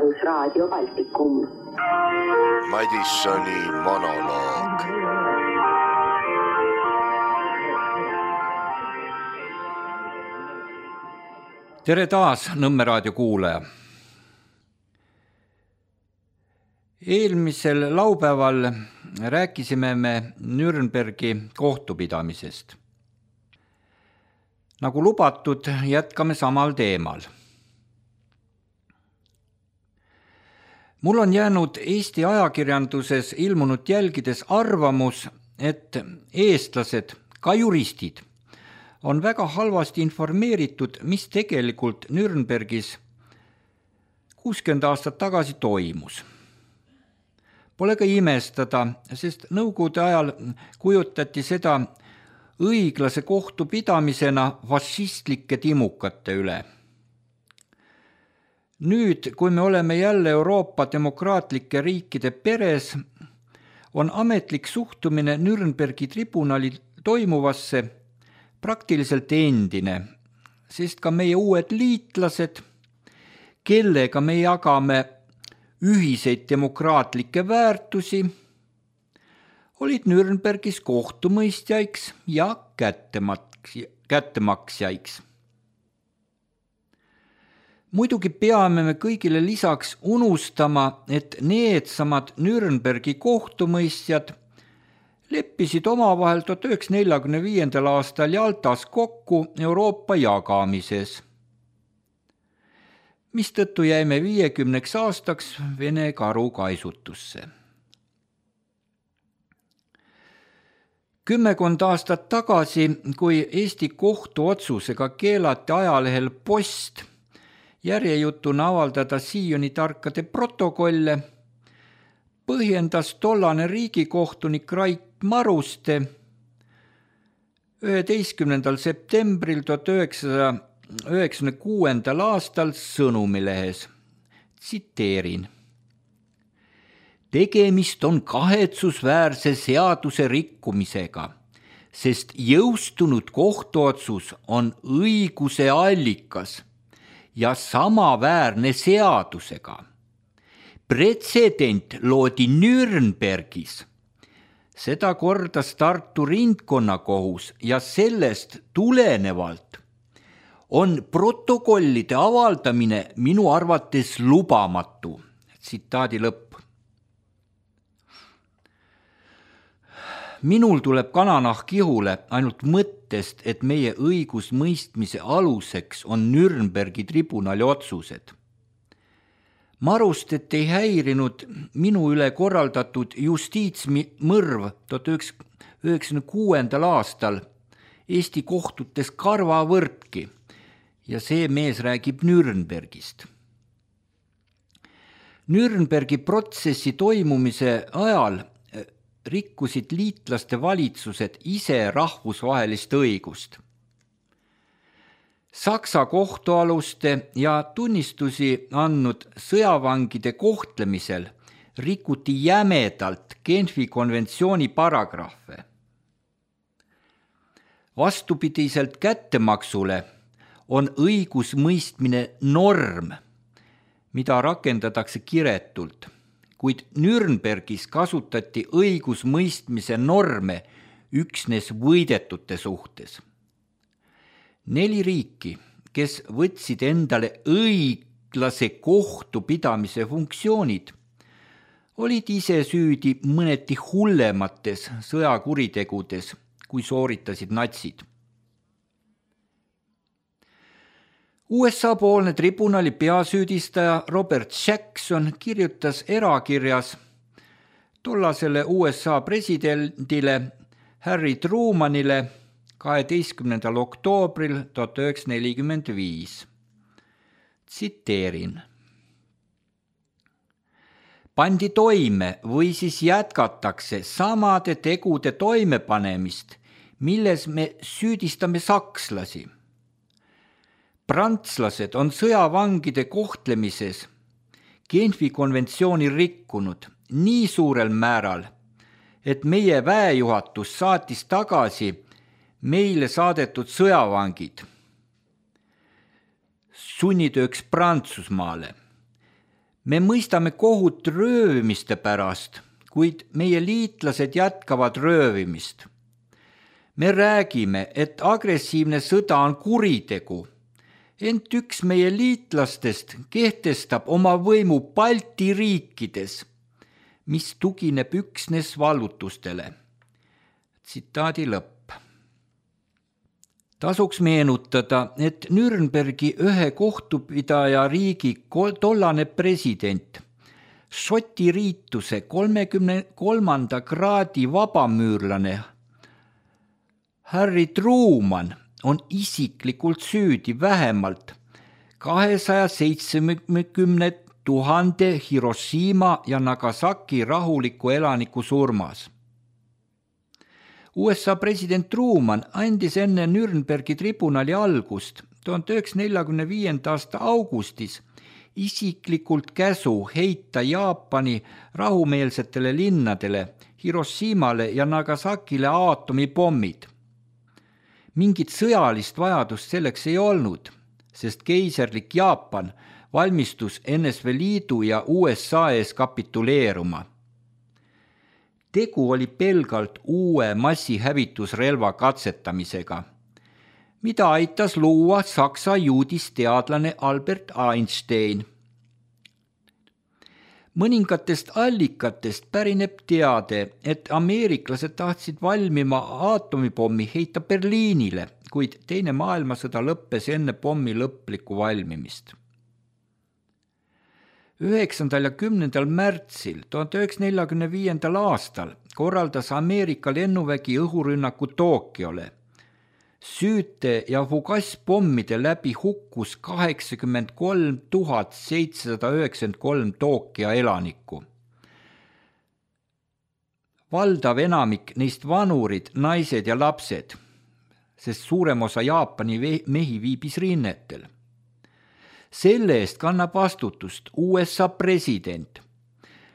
Rahvusraadio Baltikum. Madissoni monoloog. Tere taas, Nõmme raadio kuulaja. Eelmisel laupäeval rääkisime me Nürnbergi kohtupidamisest. Nagu lubatud, jätkame samal teemal. Mul on jäänud Eesti ajakirjanduses ilmunud jälgides arvamus, et eestlased, ka juristid, on väga halvasti informeeritud, mis tegelikult Nürnbergis 60 aastat tagasi toimus. Pole ka imestada, sest nõukogude ajal kujutati seda õiglase kohtupidamisena fašistlike timukate üle. Nüüd, kui me oleme jälle Euroopa demokraatlike riikide peres, on ametlik suhtumine Nürnbergi tribunali toimuvasse praktiliselt endine, sest ka meie uued liitlased, kellega me jagame ühiseid demokraatlikke väärtusi, olid Nürnbergis kohtumõistjaiks ja kättemaksjaiks. Muidugi peame me kõigile lisaks unustama, et needsamad Nürnbergi kohtumõistjad leppisid omavahel 1945. aastal Jaltas kokku Euroopa jagamises, mistõttu jäime 50 aastaks Vene karu kaisutusse. 10 aastat tagasi, kui Eesti kohtuotsusega keelati ajalehel Post järjejutuna avaldada Sioni tarkade protokolle, põhjendas tollane riigikohtunik Rait Maruste 11. septembril 1996. aastal Sõnumilehes. Tsiteerin. Tegemist on kahetsusväärse seaduse rikkumisega, sest jõustunud kohtuotsus on õiguse allikas ja samaväärne seadusega. Pretsedent loodi Nürnbergis. Seda kordas Tartu ringkonnakohus ja sellest tulenevalt on protokollide avaldamine minu arvates lubamatu. Tsitaadi lõpp. Minul tuleb kananahk ihule ainult mõttest, et meie õigusmõistmise aluseks on Nürnbergi tribunali otsused. Marustet ei häirinud minu üle korraldatud justiitsmõrv 1996. aastal Eesti kohtutes karvavõrdki ja see mees räägib Nürnbergist. Nürnbergi protsessi toimumise ajal rikkusid liitlaste valitsused ise rahvusvahelist õigust. Saksa kohtualuste ja tunnistusi andnud sõjavangide kohtlemisel rikuti jämedalt Genfi konventsiooni paragrahve. Vastupidiselt kättemaksule on õigusmõistmine norm, mida rakendatakse kiretult, kuid Nürnbergis kasutati õigusmõistmise norme üksnes võidetute suhtes. 4 riiki, kes võtsid endale õiglase kohtupidamise funktsioonid, olid ise süüdi mõneti hullemates sõjakuritegudes, kui sooritasid natsid. USA-poolne tribunali peasüüdistaja Robert Jackson kirjutas erakirjas tollasele USA presidendile Harry Trumanile 12. oktoobril 1945. Tsiteerin. Pandi toime või siis jätkatakse samade tegude toimepanemist, milles me süüdistame sakslasi. Prantslased on sõjavangide kohtlemises Genfi konventsiooni rikkunud nii suurel määral, et meie väejuhatus saatis tagasi meile saadetud sõjavangid sunnitööks Prantsusmaale. Me mõistame kohut röövimiste pärast, kuid meie liitlased jätkavad röövimist. Me räägime, et agressiivne sõda on kuritegu, ent üks meie liitlastest kehtestab oma võimu Balti riikides, mis tugineb üksnes vallutustele. Tsitaadi lõpp. Tasuks meenutada, et Nürnbergi ühe kohtupidaja riigi tollane president, Šoti riituse 33. kraadi vabamüürlane Harry Truman on isiklikult süüdi vähemalt 270 000 Hiroshima ja Nagasaki rahuliku elaniku surmas. USA president Truman andis enne Nürnbergi tribunali algust 1945. aasta augustis isiklikult käsu heita Jaapani rahumeelsetele linnadele, Hiroshimale ja Nagasakile aatomipommid. Mingit sõjalist vajadust selleks ei olnud, sest keiserlik Jaapan valmistus NSV Liidu ja USA ees kapituleeruma. Tegu oli pelgalt uue massihävitusrelva katsetamisega, mida aitas luua Saksa juudisteadlane Albert Einstein. Mõningatest allikatest pärineb teade, et ameeriklased tahtsid valmima aatomipommi heita Berliinile, kuid Teine maailmasõda lõppes enne pommi lõplikku valmimist. 9. ja 10. märtsil 1945. aastal korraldas Ameerika lennuvägi õhurünnaku Tokyole. Süüte ja fugasspommide läbi hukkus 83 793 Tokyo elanikku. Valdav enamik neist vanurid, naised ja lapsed, sest suurem osa Jaapani mehi viibis rinnetel. Selle eest kannab vastutust USA president,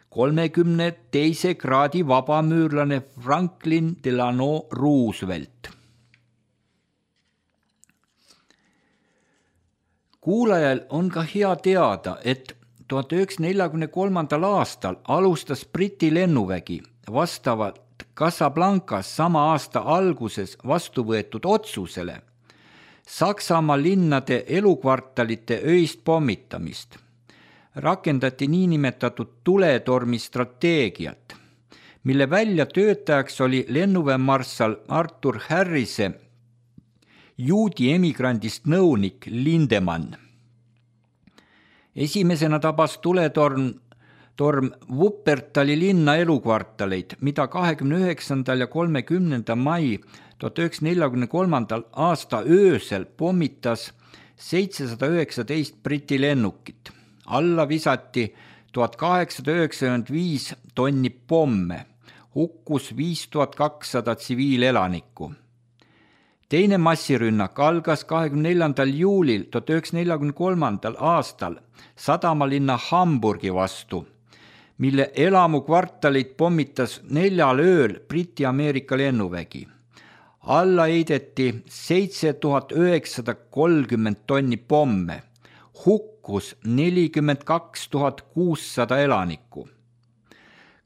32. kraadi vabamüürlane Franklin Delano Roosevelt. Kuulajal on ka hea teada, et 1943. aastal alustas Briti lennuvägi vastavalt Casablancas sama aasta alguses vastu võetud otsusele Saksamaa linnade elukvartalite öist pommitamist. Rakendati niinimetatud tuletormi strateegiat, mille väljatöötajaks oli lennuväemarssal Arthur Harrise juudi emigrandist nõunik Lindemann. Esimesena tabas tuletorm Wuppertali linna elukvartaleid, mida 29. ja 30. mai 1943. aasta öösel pommitas 719 Briti lennukit. Alla visati 1895 tonni pomme, hukkus 5200 tsiviilelanikku. Teine massirünnak algas 24. juulil 1943. aastal sadamalinna Hamburgi vastu, mille elamukvartalit pommitas 4 ööl Briti-Ameerika lennuvägi. Alla heideti 7930 tonni pomme, hukkus 42 600 elanikku.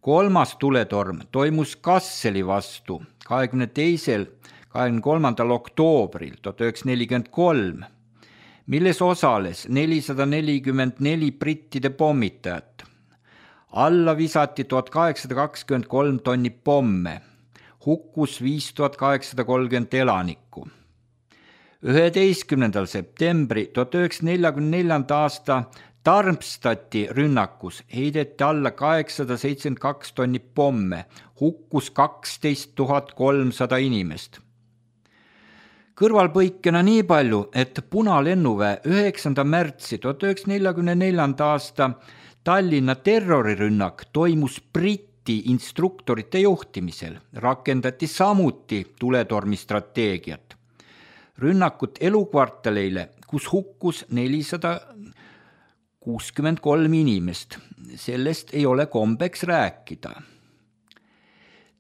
Kolmas tuletorm toimus Kasseli vastu 22. 23. oktoobril 1943, milles osales 444 brittide pommitajat. Alla visati 1823 tonni pomme, hukkus 5830 elanikku. 11. septembri 1944. aasta Darmstadti rünnakus heideti alla 872 tonni pomme, hukkus 12 300 inimest. Kõrvalpõikena nii palju, et Punalennuväe 9. märtsi 1944. aasta Tallinna terrorirünnak toimus Briti instruktorite juhtimisel, rakendati samuti tuletormi strateegiat. Rünnakut elukvartaleile, kus hukkus 463 inimest, sellest ei ole kombeks rääkida.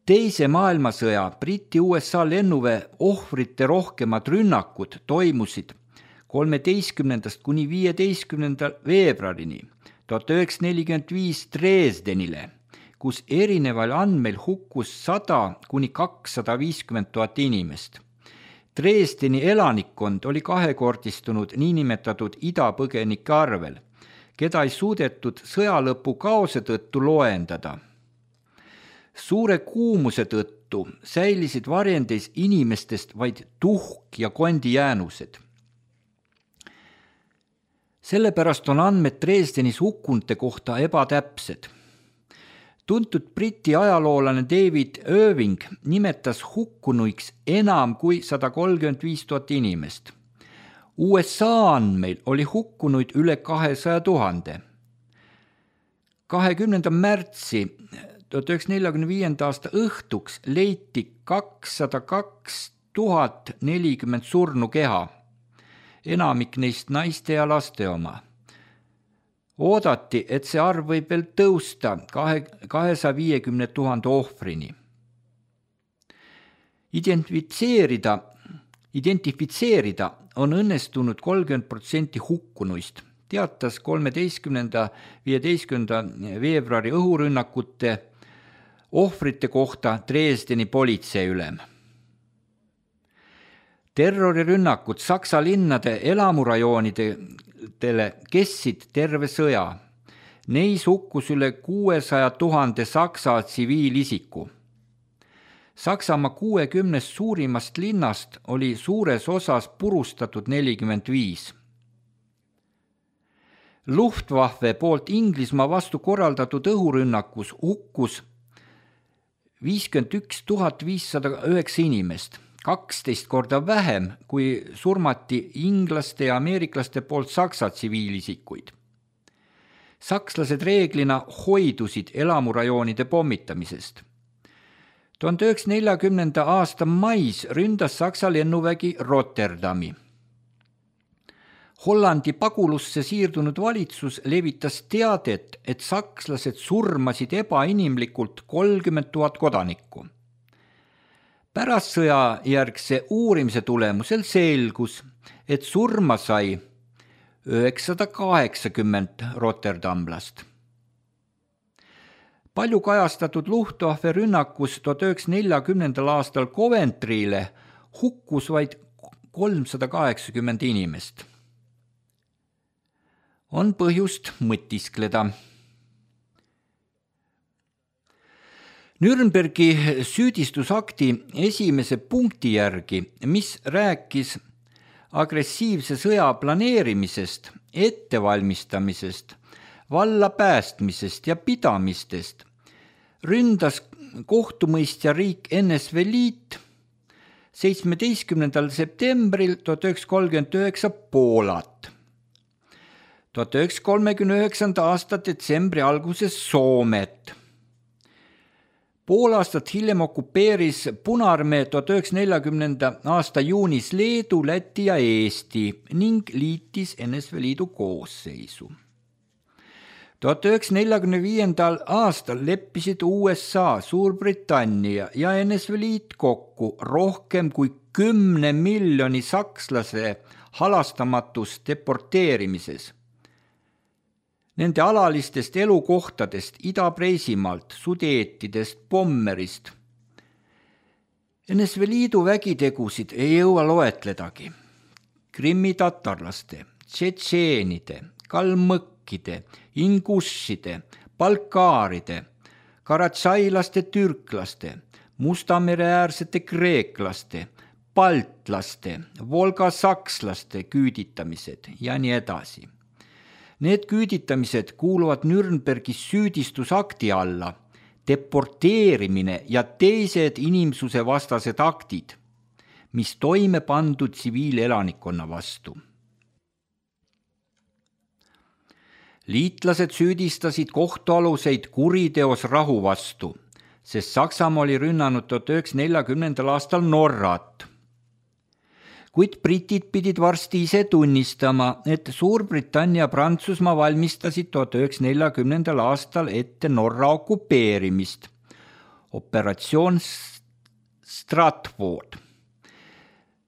Teise maailmasõja Briti-USA lennuväe ohvrite rohkemad rünnakud toimusid 13. kuni 15. veebruarini 1945 Dresdenile, kus erineval andmeil hukkus 100 kuni 250 000 inimest. Dresdeni elanikkond oli kahekordistunud niinimetatud idapõgenike arvel, keda ei suudetud sõjalõpu kaose tõttu loendada. Suure kuumuse tõttu säilisid varjendis inimestest vaid tuhk ja kondijäänused. Sellepärast on andmed Dresdenis hukkunute kohta ebatäpsed. Tuntud Briti ajaloolane David Irving nimetas hukkunuiks enam kui 135 000 inimest. USA andmeil oli hukkunuid üle 200 000. 20. märtsi 1945. aasta õhtuks leiti 202 040 surnukeha, enamik neist naiste ja laste oma. Oodati, et see arv võib veel tõusta 250 000 ohvrini. Identifitseerida on õnnestunud 30% hukkunuist, teatas 13.–15. veebruari õhurünnakute ohvrite kohta Dresdeni politseiülem. Terrorirünnakud Saksa linnade elamurajoonidele kestsid terve sõja. Neis hukkus üle 600 000 Saksa tsiviilisiku. Saksamaa 60 suurimast linnast oli suures osas purustatud 45. Luftwaffe poolt Inglismaa vastu korraldatud õhurünnakus hukkus 51 509 inimest, 12 korda vähem kui surmati inglaste ja ameeriklaste poolt Saksa tsiviilisikuid. Sakslased reeglina hoidusid elamurajoonide pommitamisest. 1940. aasta mais ründas Saksa lennuvägi Rotterdami. Hollandi pagulusse siirdunud valitsus levitas teadet, et sakslased surmasid ebainimlikult 30 000 kodanikku. Pärast sõjajärgse uurimise tulemusel selgus, et surma sai 980 rotterdamlast. Palju kajastatud Luftwaffe rünnakus 1940. aastal Coventry'le hukkus vaid 380 inimest. On põhjust mõtiskleda. Nürnbergi süüdistusakti esimese punkti järgi, mis rääkis agressiivse sõja planeerimisest, ettevalmistamisest, valla päästmisest ja pidamistest, ründas kohtumõistja riik NSV Liit 17. septembril 1939 Poolat. 1939. aasta detsembri alguses Soomet. Pool aastat hiljem okupeeris Punaarmee 1940. aasta juunis Leedu, Läti ja Eesti ning liitis NSV Liidu koosseisu. 1945. aastal leppisid USA, Suurbritannia ja NSV Liit kokku rohkem kui 10 miljoni sakslase halastamatus deporteerimises. Nende alalistest elukohtadest Ida-Preisimaalt, Sudeetidest, Pommerist. NSV Liidu vägitegusid ei jõua loetledagi. Krimmi tatarlaste, tšetšeenide, kalmõkkide, ingušide, balkaaride, karatšailaste türklaste, Mustamereäärsete kreeklaste, baltlaste, volgasakslaste küüditamised ja nii edasi. Need küüditamised kuuluvad Nürnbergi süüdistusakti alla, deporteerimine ja teised inimsuse vastased aktid, mis toime pandud tsiviilelanikkonna vastu. Liitlased süüdistasid kohtualuseid kuriteos rahu vastu, sest Saksamaa oli rünnanud 1940. aastal Norrat. Kuid britid pidid varsti ise tunnistama, et Suurbritannia ja Prantsusmaa valmistasid 1940. aastal ette Norra okupeerimist. Operatsioon Stratford.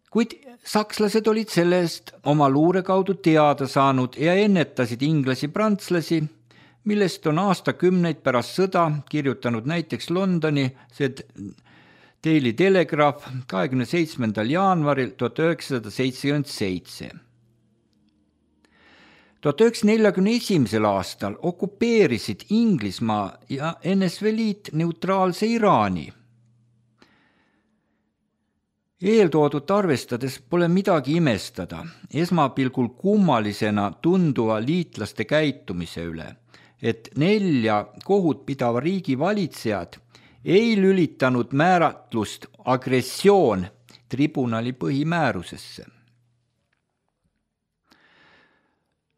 Kuid sakslased olid sellest oma luure kaudu teada saanud ja ennetasid inglasi-prantslasi millest on aastakümneid pärast sõda kirjutanud näiteks Londoni Daily Telegraph 27. jaanuaril 1977. 1941. aastal okupeerisid Inglismaa ja NSV Liit neutraalse Iraani. Eeltoodut arvestades pole midagi imestada esmapilgul kummalisena tunduva liitlaste käitumise üle, et 4 kohut pidava riigi valitsejad ei lülitanud määratlust agressioon tribunali põhimäärusesse.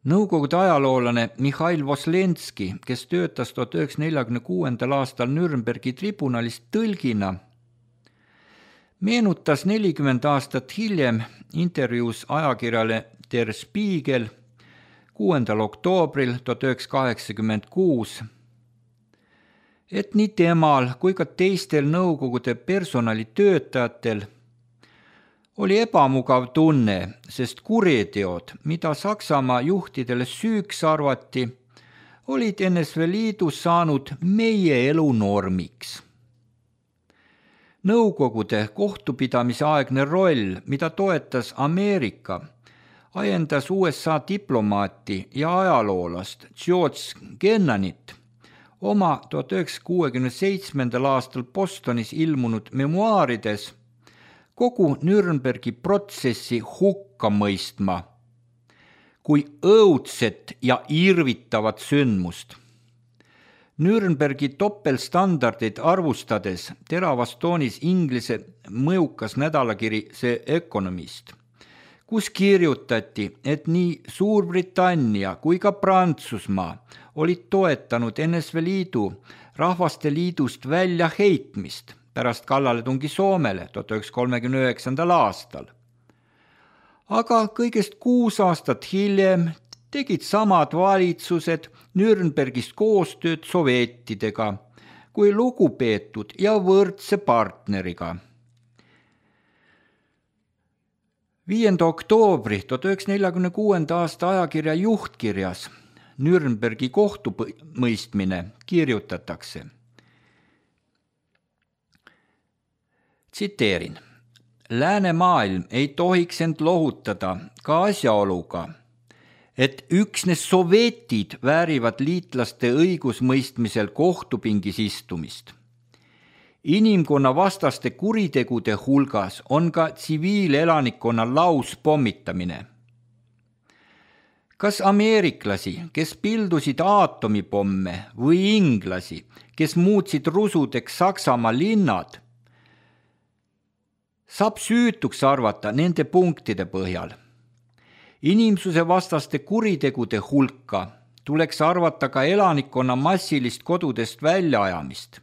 Nõukogude ajaloolane Mihhail Voslenski, kes töötas 1946. aastal Nürnbergi tribunalist tõlgina, meenutas 40 aastat hiljem intervjuus ajakirjale Der Spiegel 6. oktoobril 1986, et nii temal kui ka teistel Nõukogude personalitöötajatel oli ebamugav tunne, sest kuriteod, mida Saksamaa juhtidele süüks arvati, olid NSV Liidus saanud meie elu normiks. Nõukogude kohtupidamise aegne roll, mida toetas Ameerika, ajendas USA diplomaati ja ajaloolast George Kennanit oma 1967. aastal Bostonis ilmunud memuaarides kogu Nürnbergi protsessi hukka mõistma kui õudset ja irvitavat sündmust. Nürnbergi topelstandardid arvustades teravas toonis Inglise mõjukas nädalakiri The Economist, kus kirjutati, et nii Suurbritannia kui ka Prantsusmaa olid toetanud NSV Liidu Rahvaste Liidust välja heitmist pärast kallaletungi Soomele 1939. aastal. Aga kõigest 6 aastat hiljem tegid samad valitsused Nürnbergist koostööd sovjettidega kui lugupeetud ja võrdse partneriga. 5. oktoobri 1946. aasta ajakirja juhtkirjas Nürnbergi kohtumõistmine kirjutatakse. Tsiteerin. Läänemaailm ei tohiks end lohutada ka asjaoluga, et üksnes sovjetid väärivad liitlaste õigusmõistmisel kohtupingis istumist. Inimkonna vastaste kuritegude hulgas on ka tsiviilelanikkonna lauspommitamine. Kas ameeriklasi, kes pildusid aatomipomme või inglasi, kes muutsid rusudeks Saksamaa linnad, saab süütuks arvata nende punktide põhjal. Inimsuse vastaste kuritegude hulka tuleks arvata ka elanikkonna massilist kodudest väljaajamist.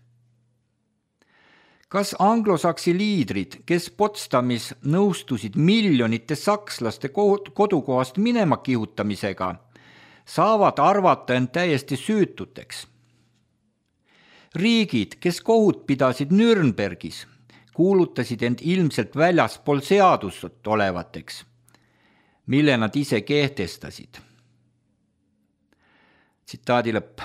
Kas anglosaksi liidrid, kes Potsdamis nõustusid miljonite sakslaste kodukohast minema kihutamisega, saavad arvata end täiesti süütuteks? Riigid, kes kohut pidasid Nürnbergis, kuulutasid end ilmselt väljaspool seadust olevateks, mille nad ise kehtestasid. Tsitaadi lõpp.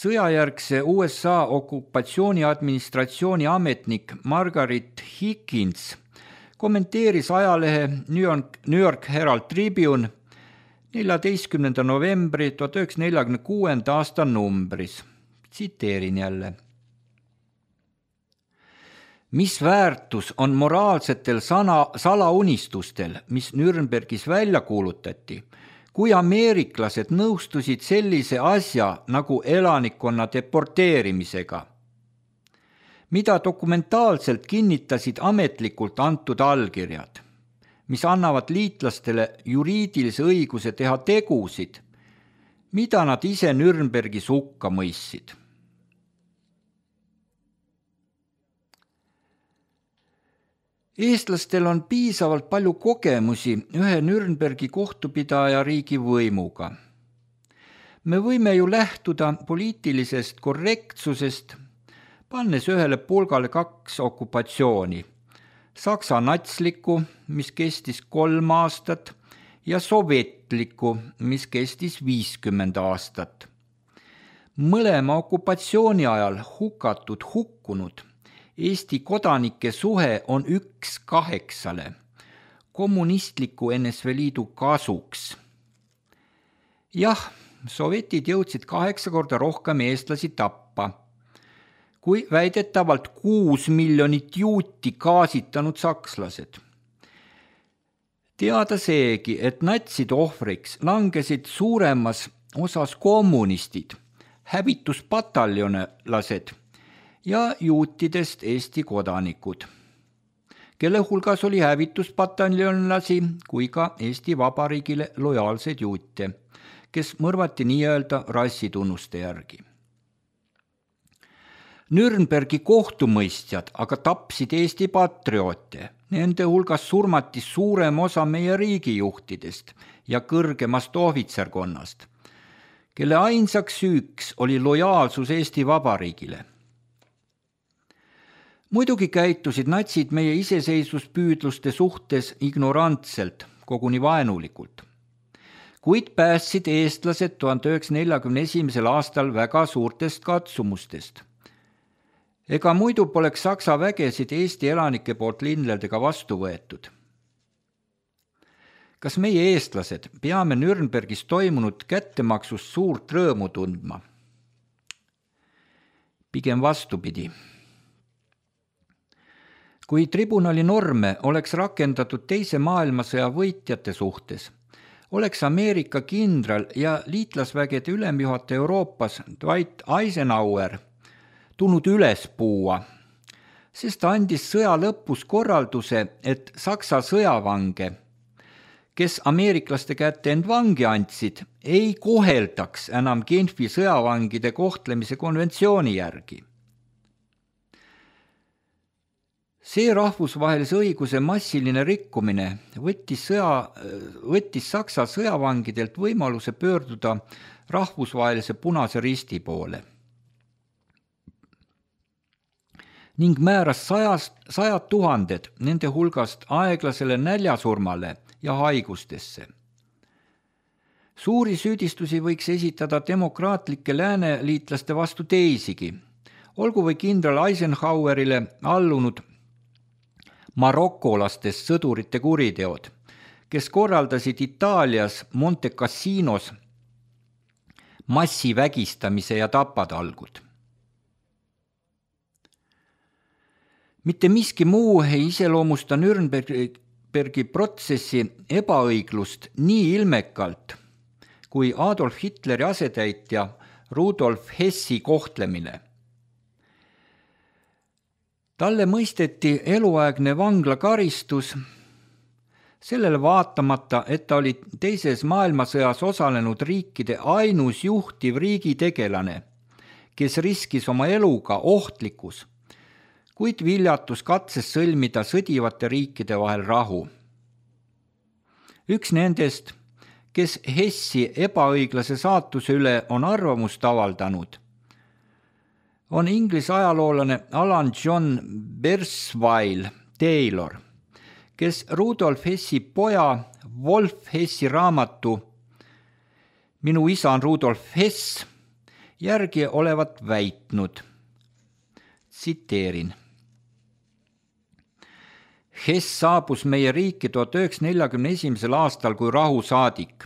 Sõjajärgse USA okupatsiooniadministratsiooni ametnik Margaret Higgins kommenteeris ajalehe New York Herald Tribune 14. novembri 1946. aasta numbris. Tsiteerin jälle. Mis väärtus on moraalsetel salaunistustel, mis Nürnbergis välja kuulutati, kui ameeriklased nõustusid sellise asja nagu elanikkonna deporteerimisega, mida dokumentaalselt kinnitasid ametlikult antud allkirjad, mis annavad liitlastele juriidilise õiguse teha tegusid, mida nad ise Nürnbergis hukka mõistsid. Eestlastel on piisavalt palju kogemusi ühe Nürnbergi kohtupidaja riigi võimuga. Me võime ju lähtuda poliitilisest korrektsusest, pannes ühele pulgale 2 okupatsiooni. Saksa natslikku, mis kestis 3 aastat, ja sovjet konfliktlikku, mis kestis 50 aastat. Mõlema okupatsiooni ajal hukkunud Eesti kodanike suhe on 1:8 kommunistliku NSV Liidu kasuks. Jah, sovjetid jõudsid 8 korda rohkem eestlasi tappa, kui väidetavalt 6 miljonit juuti gaasitanud sakslased. Teada seegi, et natside ohvriks langesid suuremas osas kommunistid, hävituspataljonlased ja juutidest Eesti kodanikud, kelle hulgas oli hävituspataljonlasi kui ka Eesti Vabariigile lojaalseid juute, kes mõrvati nii-öelda rassitunnuste järgi. Nürnbergi kohtumõistjad aga tapsid Eesti patrioote, nende hulgas surmati suurem osa meie riigijuhtidest ja kõrgemast ohvitserkonnast, kelle ainsaks süüks oli lojaalsus Eesti Vabariigile. Muidugi käitusid natsid meie iseseisvuspüüdluste suhtes ignorantselt, koguni vaenulikult, kuid päästsid eestlased 1941. aastal väga suurtest katsumustest. Ega muidu poleks Saksa vägesid Eesti elanike poolt linnadega vastu võetud. Kas meie eestlased peame Nürnbergis toimunud kättemaksust suurt rõõmu tundma? Pigem vastupidi. Kui tribunali norme oleks rakendatud teise maailmasõja võitjate suhtes, oleks Ameerika kindral ja liitlasvägede ülemjuhataja Euroopas Dwight Eisenhower tulnud üles puua, sest ta andis sõja lõpus korralduse, et Saksa sõjavange, kes ameeriklaste kätte end vangi andsid, ei koheldaks enam Genfi sõjavangide kohtlemise konventsiooni järgi. See rahvusvahelise õiguse massiline rikkumine võttis Saksa sõjavangidelt võimaluse pöörduda rahvusvahelise Punase Risti poole ning määras 100 000 nende hulgast aeglasele näljasurmale ja haigustesse. Suuri süüdistusi võiks esitada demokraatlike lääneliitlaste vastu teisigi, olgu või kindral Eisenhowerile allunud marokolastest sõdurite kuriteod, kes korraldasid Itaalias Monte Cassinos massivägistamise ja tapatalgud. Mitte miski muu ei iseloomusta Nürnbergi protsessi ebaõiglust nii ilmekalt kui Adolf Hitleri asetäitja Rudolf Hessi kohtlemine. Talle mõisteti eluaegne vanglakaristus, sellele vaatamata, et ta oli teises maailmasõjas osalenud riikide ainus juhtiv riigitegelane, kes riskis oma eluga ohtlikus, kuid viljatus katses sõlmida sõdivate riikide vahel rahu. Üks nendest, kes Hessi ebaõiglase saatuse üle on arvamust avaldanud, on Inglise ajaloolane Alan John Bersvile Taylor, kes Rudolf Hessi poja Wolf Hessi raamatu Minu isa on Rudolf Hess järgi olevat väitnud. Tsiteerin. Hess saabus meie riiki 1941. aastal kui rahusaadik.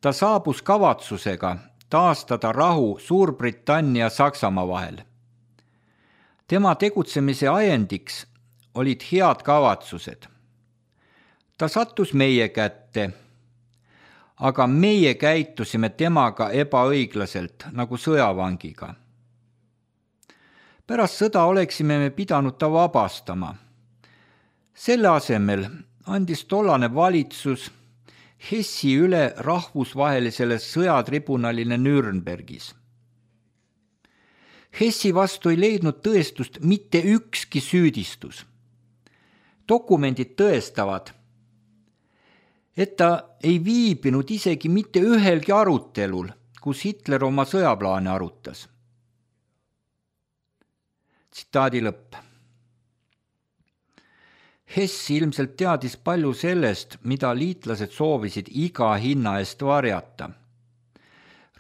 Ta saabus kavatsusega taastada rahu Suurbritannia ja Saksamaa vahel. Tema tegutsemise ajendiks olid head kavatsused. Ta sattus meie kätte, aga meie käitusime temaga ebaõiglaselt nagu sõjavangiga. Pärast sõda oleksime me pidanud ta vabastama. Selle asemel andis tollane valitsus Hessi üle rahvusvahelisele sõjatribunalile Nürnbergis. Hessi vastu ei leidnud tõestust mitte ükski süüdistus. Dokumendid tõestavad, et ta ei viibinud isegi mitte ühelgi arutelul, kus Hitler oma sõjaplaane arutas. Tsitaadi lõpp. Hess ilmselt teadis palju sellest, mida liitlased soovisid iga hinna eest varjata.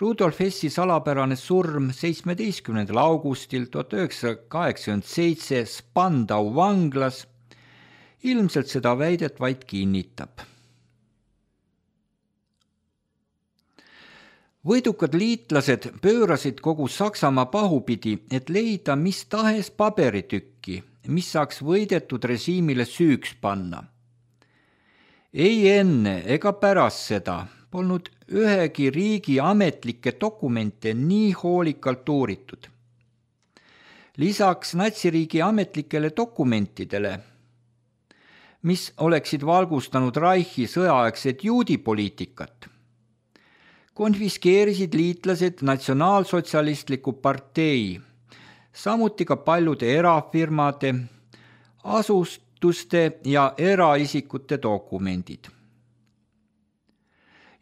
Rudolf Hessi salapärane surm 17. augustil 1987 Spandau vanglas ilmselt seda väidet vaid kinnitab. Võidukad liitlased pöörasid kogu Saksamaa pahupidi, et leida mis tahes paberitükki, mis saaks võidetud režiimile süüks panna. Ei enne ega pärast seda polnud ühegi riigi ametlikke dokumente nii hoolikalt uuritud. Lisaks natsiriigi ametlikele dokumentidele, mis oleksid valgustanud Reichi sõjaaegset juudipoliitikat, konfiskeerisid liitlased Natsionaalsotsialistliku partei, samuti ka paljude erafirmade, asutuste ja eraisikute dokumendid.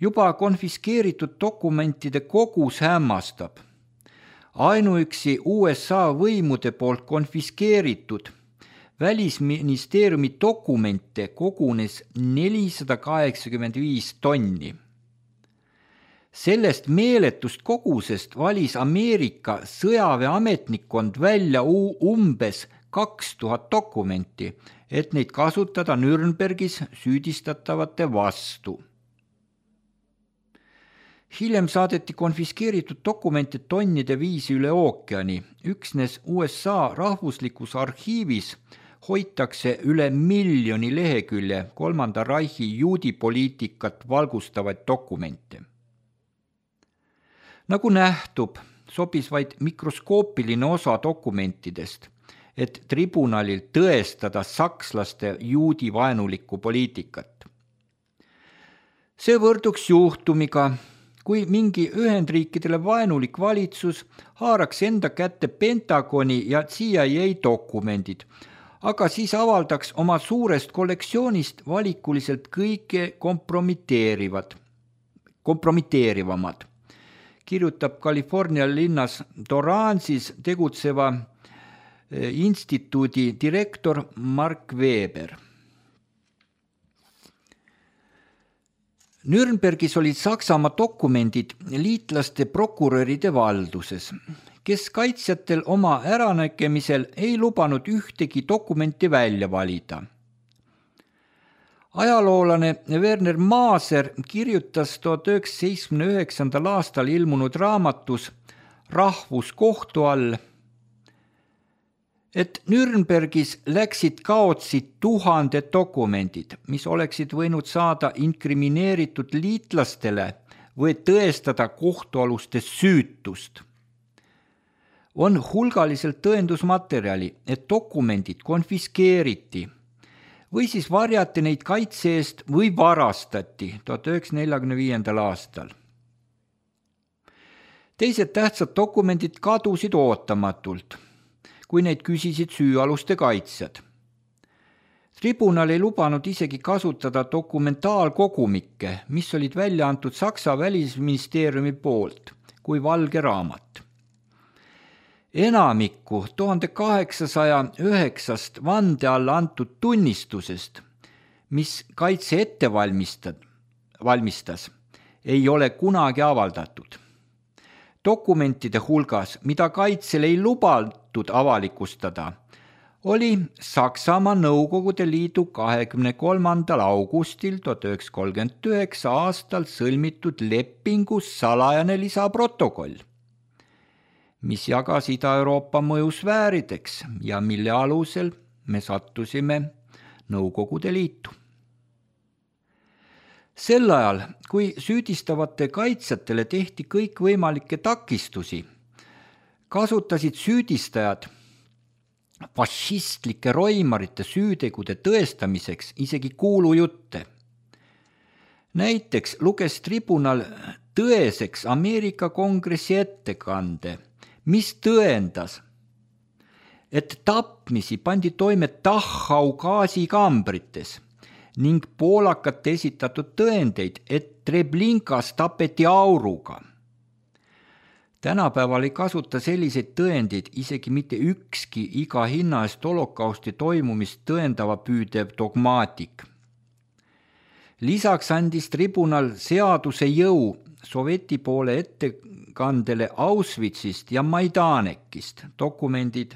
Juba konfiskeeritud dokumentide kogus hämmastab. Ainuüksi USA võimude poolt konfiskeeritud Välisministeeriumi dokumente kogunes 485 tonni. Sellest meeletust kogusest valis Ameerika sõjaväeametnikkond välja umbes 2000 dokumenti, et neid kasutada Nürnbergis süüdistatavate vastu. Hiljem saadeti konfiskeeritud dokumente tonnide viisi üle ookeani. Üksnes USA rahvuslikus arhiivis hoitakse üle 1 miljoni lehekülje Kolmanda Reichi juudipoliitikat valgustavaid dokumente. Nagu nähtub, sobis vaid mikroskoopiline osa dokumentidest, et tribunalil tõestada sakslaste juudivaenulikku poliitikat. See võrduks juhtumiga, kui mingi Ühendriikidele vaenulik valitsus haaraks enda kätte Pentagoni ja CIA dokumendid, aga siis avaldaks oma suurest kollektsioonist valikuliselt kõige kompromiteerivamad. Kirjutab California linnas Torrance'is tegutseva instituudi direktor Mark Weber. Nürnbergis olid Saksamaa dokumendid liitlaste prokuröride valduses, kes kaitsjatel oma äranägemisel ei lubanud ühtegi dokumenti välja valida. Ajaloolane Werner Maaser kirjutas 1979. aastal ilmunud raamatus Rahvuskohtu all, et Nürnbergis läksid kaotsi 1000 dokumendid, mis oleksid võinud saada inkrimineeritud liitlastele või tõestada kohtualuste süütust. On hulgaliselt tõendusmaterjali, et dokumendid konfiskeeriti või siis varjati neid kaitse eest või varastati 1945. aastal. Teised tähtsad dokumendid kadusid ootamatult, kui neid küsisid süüaluste kaitsjad. Tribunal ei lubanud isegi kasutada dokumentaalkogumikke, mis olid välja antud Saksa välisministeeriumi poolt kui valge raamat. Enamikku 1809 vande alla antud tunnistusest, mis kaitse ette valmistas, ei ole kunagi avaldatud. Dokumentide hulgas, mida kaitsel ei lubatud avalikustada, oli Saksamaa Nõukogude Liidu 23. augustil 1939 aastal sõlmitud lepingus salajane lisaprotokoll, mis jagas Ida-Euroopa mõjusfäärideks ja mille alusel me sattusime Nõukogude Liitu. Sel ajal, kui süüdistavate kaitsjatele tehti kõikvõimalikke takistusi, kasutasid süüdistajad fašistlike roimarite süütegude tõestamiseks isegi kuulujutte. Näiteks luges tribunal tõeseks Ameerika Kongressi ettekande, mis tõendas, et tapmisi pandi toime Dachau gaasikambrites ning poolakate esitatud tõendeid, et Treblinkas tapeti auruga. Tänapäeval ei kasuta selliseid tõendeid isegi mitte ükski iga hinna eest holokausti toimumist tõendava püüdev dogmaatik. Lisaks andis tribunal seaduse jõu Sovjeti poole ettekandele Auschwitzist ja Majdanekist, dokumendid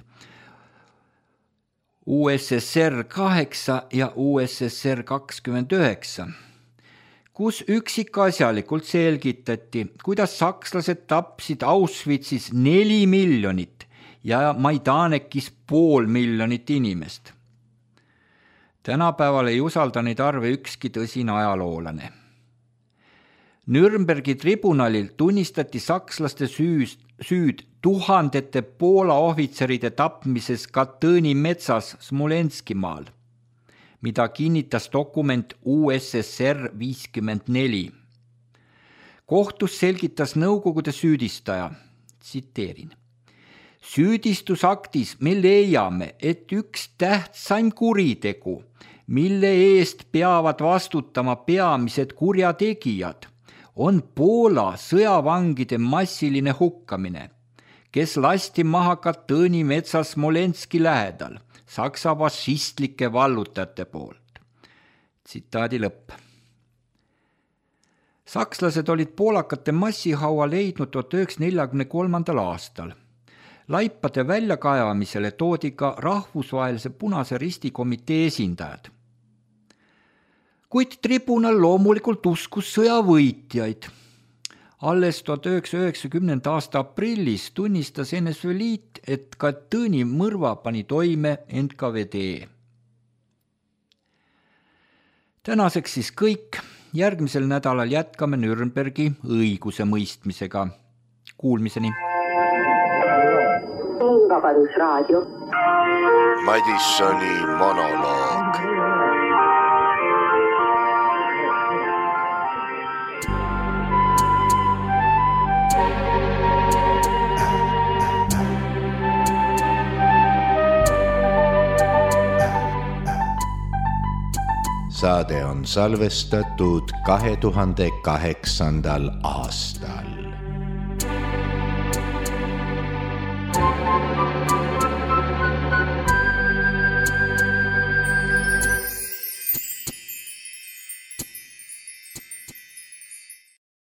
USSR 8 ja USSR 29, kus üksikasjalikult selgitati, kuidas sakslased tapsid Auschwitzis 4 miljonit ja Majdanekis 500 000 inimest. Tänapäeval ei usalda neid arve ükski tõsine ajaloolane. Nürnbergi tribunalil tunnistati sakslaste süüd tuhandete Poola ohvitseride tapmises Katõni metsas Smolenskimaal, mida kinnitas dokument USSR 54. Kohtus selgitas Nõukogude süüdistaja, tsiteerin: süüdistusaktis me leiame, et üks tähtsaim kuritegu, mille eest peavad vastutama peamised kurjategijad, on Poola sõjavangide massiline hukkamine, kes lasti maha Katõni metsas Smolenski lähedal Saksa fašistlike vallutajate poolt. Tsitaadi lõpp. Sakslased olid poolakate massihaua leidnud 1943. aastal. Laipade väljakaevamisele toodi ka rahvusvahelise Punase Risti komitee esindajad. Kuid tribunal loomulikult uskus sõjavõitjaid. Alles 1990. aasta aprillis tunnistas NSV Liit, et Katõni mõrva pani toime NKVD. Tänaseks siis kõik. Järgmisel nädalal jätkame Nürnbergi õigusemõistmisega. Kuulmiseni. Vabadusraadio. Madissoni monoloog. Saade on salvestatud 2008. aastal.